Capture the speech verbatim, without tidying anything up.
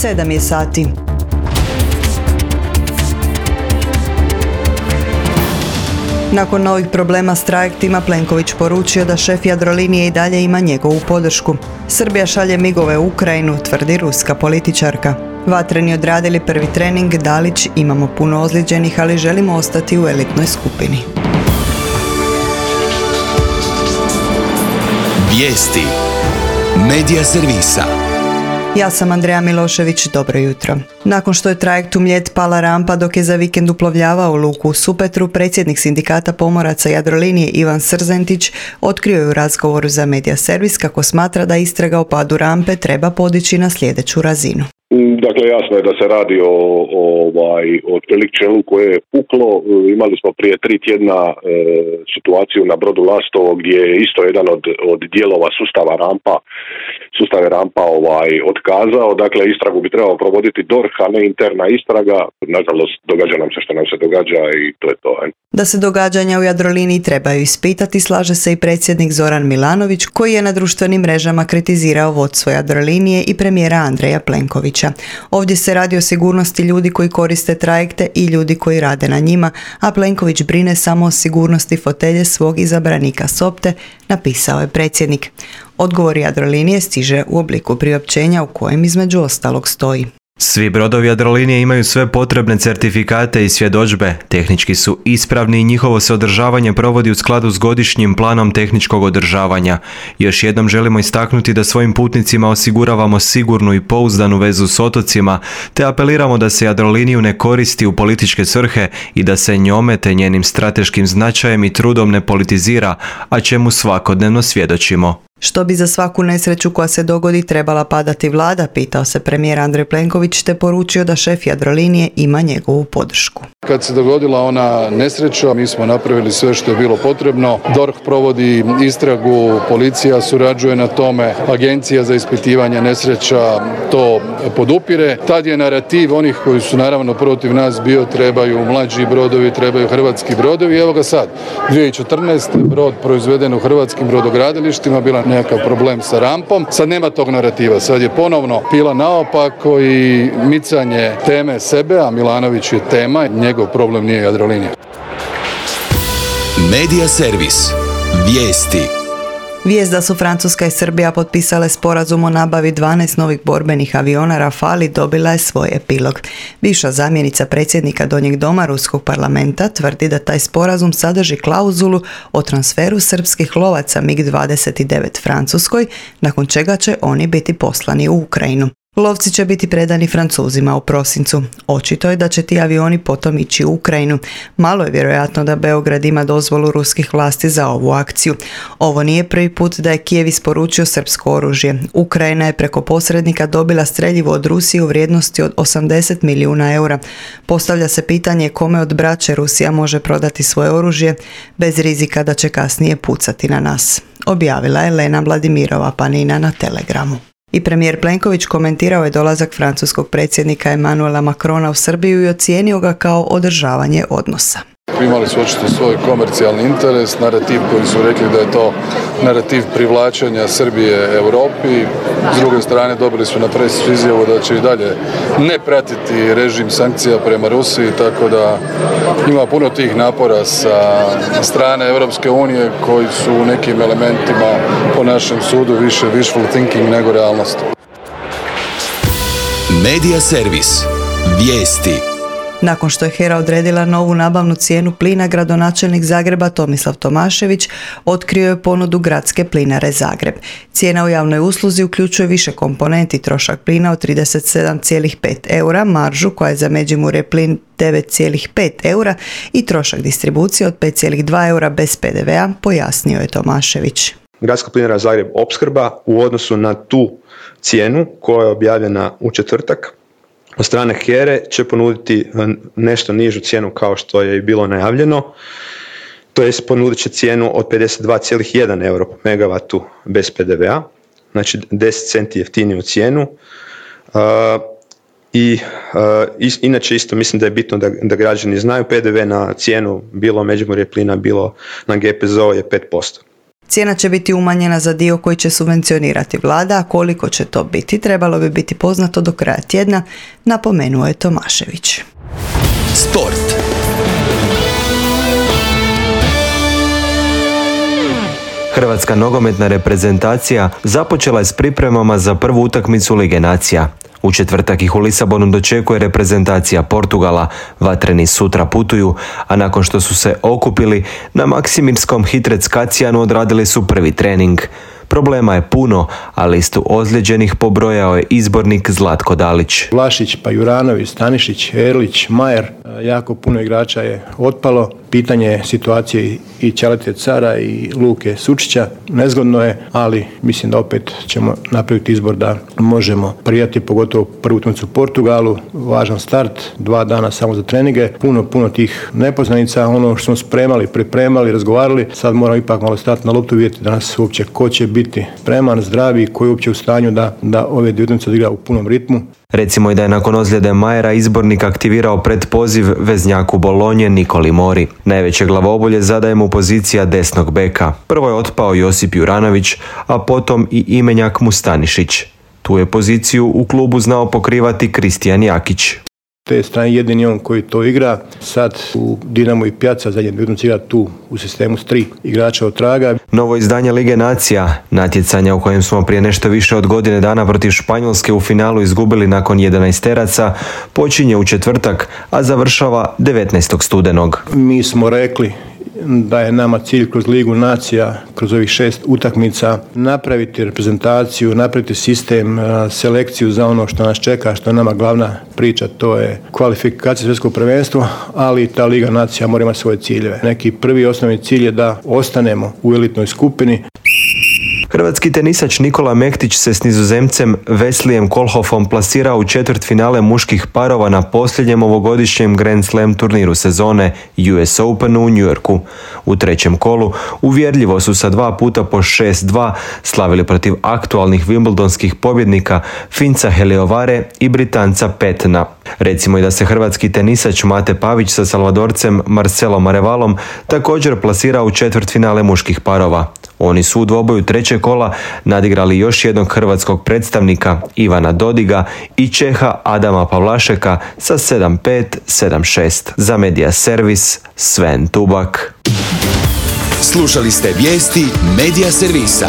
sedam je sati. Nakon novih problema s trajektima, Plenković poručio da šef Jadrolinije i dalje ima njegovu podršku. Srbija šalje migove u Ukrajinu, tvrdi ruska političarka. Vatreni odradili prvi trening, Dalić, imamo puno ozlijeđenih, ali želimo ostati u elitnoj skupini. Vijesti Medija servisa. Ja sam Andreja Milošević, dobro jutro. Nakon što je trajekt u Mljet pala rampa dok je za vikend uplovljavao u luku u Supetru, predsjednik sindikata pomoraca Jadrolinije Ivan Srzentić otkrio je u razgovoru za Medija servis kako smatra da istraga o padu rampe treba podići na sljedeću razinu. Dakle, jasno je da se radi o, o, ovaj, o čeličelu koje je puklo. Imali smo prije tri tjedna e, situaciju na brodu Lastovo gdje je isto jedan od, od dijelova sustava rampa, sustave rampa ovaj, otkazao. Dakle, istragu bi trebao provoditi D O R H, a ne interna istraga. Nažalost, događa nam se što nam se događa i to je to. He. Da se događanja u Jadroliniji trebaju ispitati, slaže se i predsjednik Zoran Milanović, koji je na društvenim mrežama kritizirao vodstvo Jadrolinije i premijera Andreja Plenkovića. Ovdje se radi o sigurnosti ljudi koji koriste trajekte i ljudi koji rade na njima, a Plenković brine samo o sigurnosti fotelje svog izabranika Sopte, napisao je predsjednik. Odgovor Jadrolinije stiže u obliku priopćenja u kojem između ostalog stoji: Svi brodovi Jadrolinije imaju sve potrebne certifikate i svjedodžbe, tehnički su ispravni i njihovo se održavanje provodi u skladu s godišnjim planom tehničkog održavanja. Još jednom želimo istaknuti da svojim putnicima osiguravamo sigurnu i pouzdanu vezu s otocima, te apeliramo da se Jadroliniju ne koristi u političke svrhe i da se njome te njenim strateškim značajem i trudom ne politizira, a čemu svakodnevno svjedočimo. Što bi za svaku nesreću koja se dogodi trebala padati vlada, pitao se premijer Andrej Plenković, te poručio da šef Jadrolinije ima njegovu podršku. Kad se dogodila ona nesreća, mi smo napravili sve što je bilo potrebno. D O R H provodi istragu, policija surađuje na tome, agencija za ispitivanje nesreća to podupire. Tad je narativ onih koji su naravno protiv nas bio trebaju mlađi brodovi, trebaju hrvatski brodovi. Evo ga sad, dvije tisuće četrnaeste. brod proizveden u hrvatskim brodogradilištima, bila nekakav problem sa rampom. Sad nema tog narativa, sad je ponovno pila naopako i micanje teme sebe, a Milanović je tema, njegov problem nije Jadrolinija. Medija servis. Vijesti. Vijest da su Francuska i Srbija potpisale sporazum o nabavi dvanaest novih borbenih aviona Rafali dobila je svoj epilog. Bivša zamjenica predsjednika Donjeg doma Ruskog parlamenta tvrdi da taj sporazum sadrži klauzulu o transferu srpskih lovaca mig dvadeset devet Francuskoj, nakon čega će oni biti poslani u Ukrajinu. Lovci će biti predani Francuzima u prosincu. Očito je da će ti avioni potom ići u Ukrajinu. Malo je vjerojatno da Beograd ima dozvolu ruskih vlasti za ovu akciju. Ovo nije prvi put da je Kijev isporučio srpsko oružje. Ukrajina je preko posrednika dobila streljivo od Rusije u vrijednosti od osamdeset milijuna eura. Postavlja se pitanje kome od braće Rusija može prodati svoje oružje bez rizika da će kasnije pucati na nas. Objavila je Lena Vladimirova Panina na Telegramu. I premijer Plenković komentirao je dolazak francuskog predsjednika Emmanuela Macrona u Srbiju i ocijenio ga kao održavanje odnosa. Imali su očito svoj komercijalni interes, narativ koji su rekli da je to narativ privlačenja Srbije Europi. S druge strane dobili su na presicu izjavu da će i dalje ne pratiti režim sankcija prema Rusiji, tako da ima puno tih napora sa strane Europske unije koji su u nekim elementima po našem sudu više wishful thinking nego realnost. Medija servis. Vijesti. Nakon što je HERA odredila novu nabavnu cijenu plina, gradonačelnik Zagreba Tomislav Tomašević otkrio je ponudu Gradske plinare Zagreb. Cijena u javnoj usluzi uključuje više komponenti, trošak plina od trideset sedam zarez pet eura, maržu koja je za Međimurje plin devet zarez pet eura i trošak distribucije od pet zarez dva eura bez pe de vea, pojasnio je Tomašević. Gradska plinara Zagreb opskrba u odnosu na tu cijenu koja je objavljena u četvrtak od strane HERE će ponuditi nešto nižu cijenu kao što je i bilo najavljeno, to jest ponudit će cijenu od pedeset dva zarez jedan euro po megavatu bez pe de vea, znači deset centi jeftiniju cijenu. Uh, I uh, is, inače isto mislim da je bitno da, da građani znaju, pe de ve na cijenu bilo Međimurje plina, bilo na ge pe ze o je pet posto. Cijena će biti umanjena za dio koji će subvencionirati vlada, a koliko će to biti trebalo bi biti poznato do kraja tjedna, napomenuo je Tomašević. Sport. Hrvatska nogometna reprezentacija započela je s pripremama za prvu utakmicu Lige nacija. U četvrtak ih u Lisabonu dočekuje reprezentacija Portugala. Vatreni sutra putuju, a nakon što su se okupili na Maksimirskom Hitrec-Kacijanu odradili su prvi trening. Problema je puno, a listu ozlijeđenih pobrojao je izbornik Zlatko Dalić. Vlašić, pa Juranović, Stanišić, Erlić, Majer, jako puno igrača je otpalo. Pitanje je situacije i Ćalete Cara i Luke Sučića. Nezgodno je, ali mislim da opet ćemo napraviti izbor da možemo prijati, pogotovo prvu utakmicu u Portugalu. Važan start, dva dana samo za treninge. Puno, puno tih nepoznanica. Ono što smo spremali, pripremali, razgovarali, sad moramo ipak malo stati na loptu, vidjeti danas uopće ko će biti spreman, zdravi, koji je uopće u stanju da, da ove dvije utakmice odigra u punom ritmu. Recimo i da je nakon ozljede Majera izbornik aktivirao predpoziv veznjaku Bolonje Nikoli Mori. Najveće glavobolje zadaje mu pozicija desnog beka. Prvo je otpao Josip Juranović, a potom i imenjak Mustanišić. Tu je poziciju u klubu znao pokrivati Kristijan Jakić. Te strane jedini on koji to igra. Sad u Dinamo i Pjaca zadnje dvije utakmice igra tu u sistemu s tri igrača od traga. Novo izdanje Lige nacija, natjecanja u kojem smo prije nešto više od godine dana protiv Španjolske u finalu izgubili nakon jedanaesteraca, počinje u četvrtak, a završava devetnaestog studenog. Mi smo rekli da je nama cilj kroz Ligu nacija, kroz ovih šest utakmica, napraviti reprezentaciju, napraviti sistem, selekciju za ono što nas čeka, što je nama glavna priča, to je kvalifikacija svjetskog prvenstva, ali ta Liga nacija mora imati svoje ciljeve. Neki prvi osnovni cilj je da ostanemo u elitnoj skupini. Hrvatski tenisač Nikola Mektić se s Nizozemcem Weslijem Kohlhoffom plasirao u četvrtfinale muških parova na posljednjem ovogodišnjem Grand Slam turniru sezone U S Openu u New Yorku. U trećem kolu uvjerljivo su sa dva puta po šest dva slavili protiv aktualnih wimbledonskih pobjednika Finca Heliovare i Britanca Petna. Recimo i da se hrvatski tenisač Mate Pavić sa Salvadorcem Marcelom Arevalom također plasirao u četvrtfinale muških parova. Oni su u dvoboju trećeg kola nadigrali još jednog hrvatskog predstavnika Ivana Dodiga i Čeha Adama Pavlašeka sa sedam pet, sedam šest. Za Media Servis Sven Tubak. Slušali ste vijesti Media Servisa.